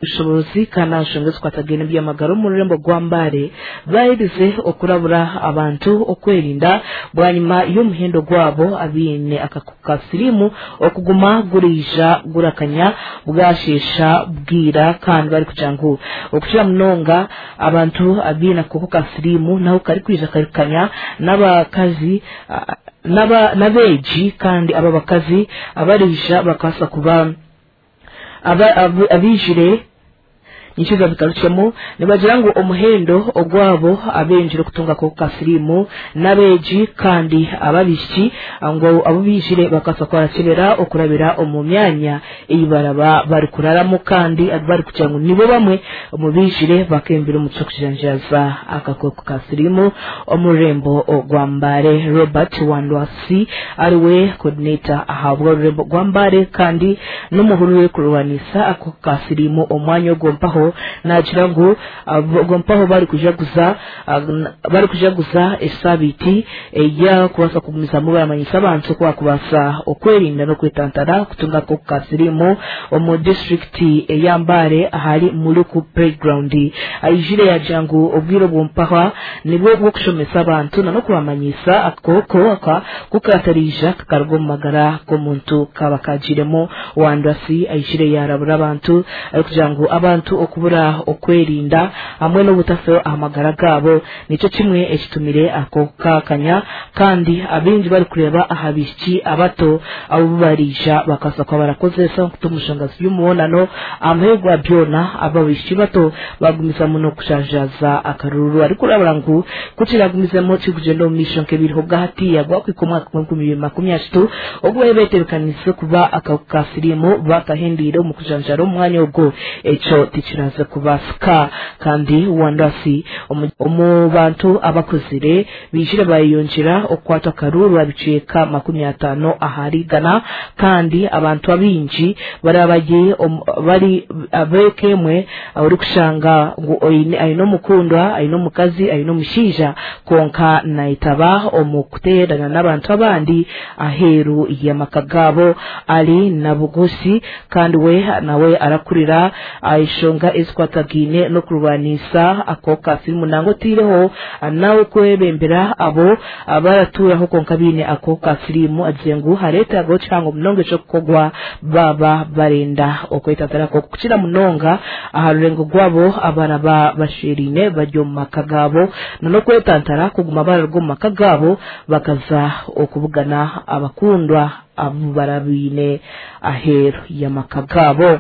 Obushoboorozi kandi aha nshonga ezikwatagaine n'eby'amagara omu rurembo rwa Mbale baaherize okurabura abantu okwerinda bwanyima y'omuhendo gwabo abaine akakooko ka siriimu okuguma guriija gurakanya bwasheesha bwira kandi barikugira ngu okukira munonga abantu abaine akakooko ka siriimu naho karikwija karikukanya n'abakazi n'abeegi kandi ab'abakazi abariija bakabaasa kuba abaijire Nikiza bikarukyemu nibagira ngu omuhendo ogwabo abengire okutunga akahuka ka siriimu n'abeegi kandi ab'abaishiki ngu abu baijire bakabaasa kubakyebera okurabira omu myanya ei baraba barikuraramu kandi barikugira ngu nibo bamwe omu baijire bakembire omu ky'okujanjaaza akakooko ka siriimu omu rurembo orwa Mbale. Robert Wandwasi ariwe coordinator ahabw'orurembo rwa Mbale kandi n'omuhururu orikurwanisa akakooko ka siriimu omu mwanya ogwo mpaho naagira ngu ogwo mpaho barikujaguza barikujaguza esaabiiti eyakubaasa kugumizamu baramanyisa abantu oku bakubaasa okwerinda n'okwetantara kutunga akakooko ka siriimu omu disiturikiti eya Mbale ahari Muluku Playground. Aijire yaagira ngu obwire obwo mpaho nibwo bw'okushomesa abantu nan'okubamanyiisa akakooko aka ku kaatariija kakaruga omu magara g'omuntu kaaba kaagiiremu. Wandasi aijire yaarabura abantu arikugira ngu abantu okubura okwerinda hamwe n'obutafayo aha magara gaabo nikyo kimwe ekitumire ako kaakanya kandi abaingi barikureeba aha baishiki abato abu bariija bakabaasa kuba barakozesa nkuta omu nshonga z'omubonano. Aha muheru gwa byona aba baishiki bato baagumizamu n'okushanjaaza akaruuru arikurabura ngu ku kiragumizemu kirikugyenda omu maisho nk'ebiriho obwahatiiya gwakuhika omwaka gw'enkumi ibiri makumi ashatu ogu baabaire betebeekaniise kuba akahuka ka siriimu bakahendeire omu kujanjaara omu mwanya ogwo ekyo tikiraze kubaasika kandi Wandasi omu bantu abakuzire baijire baayeyongyera okukwatwa akaruuru ebicweka 50 ahari igana kandi abantu abaingi baraba bari ab'eka emwe orikushanga ngu aine omukundwa, aine omukazi, aine omushaija kwonka naitaba omu kuteerana n'abantu abandi aheeru y'amaka gaabo. Ali Nabugusi kandi we nawe arakurira enshonga ezikwatagaine n'okurwanisa akahuka ka sirimu nangwa oteireho nawe kwebembera abo abaratuuraho kwonka baine akahuka ka siriimu agizire ngu hareetagaho kihango munonga eky'okukorwa baaba barenda okwetantara akahuka kukira munonga aha rurengo rwabo abaraba bashweraine bari omu maka gaabo n'okwetantara kuguma bararuga omu maka gaabo bakaza okubugana abakundwa abu barabaine aheeru y'amaka gaabo.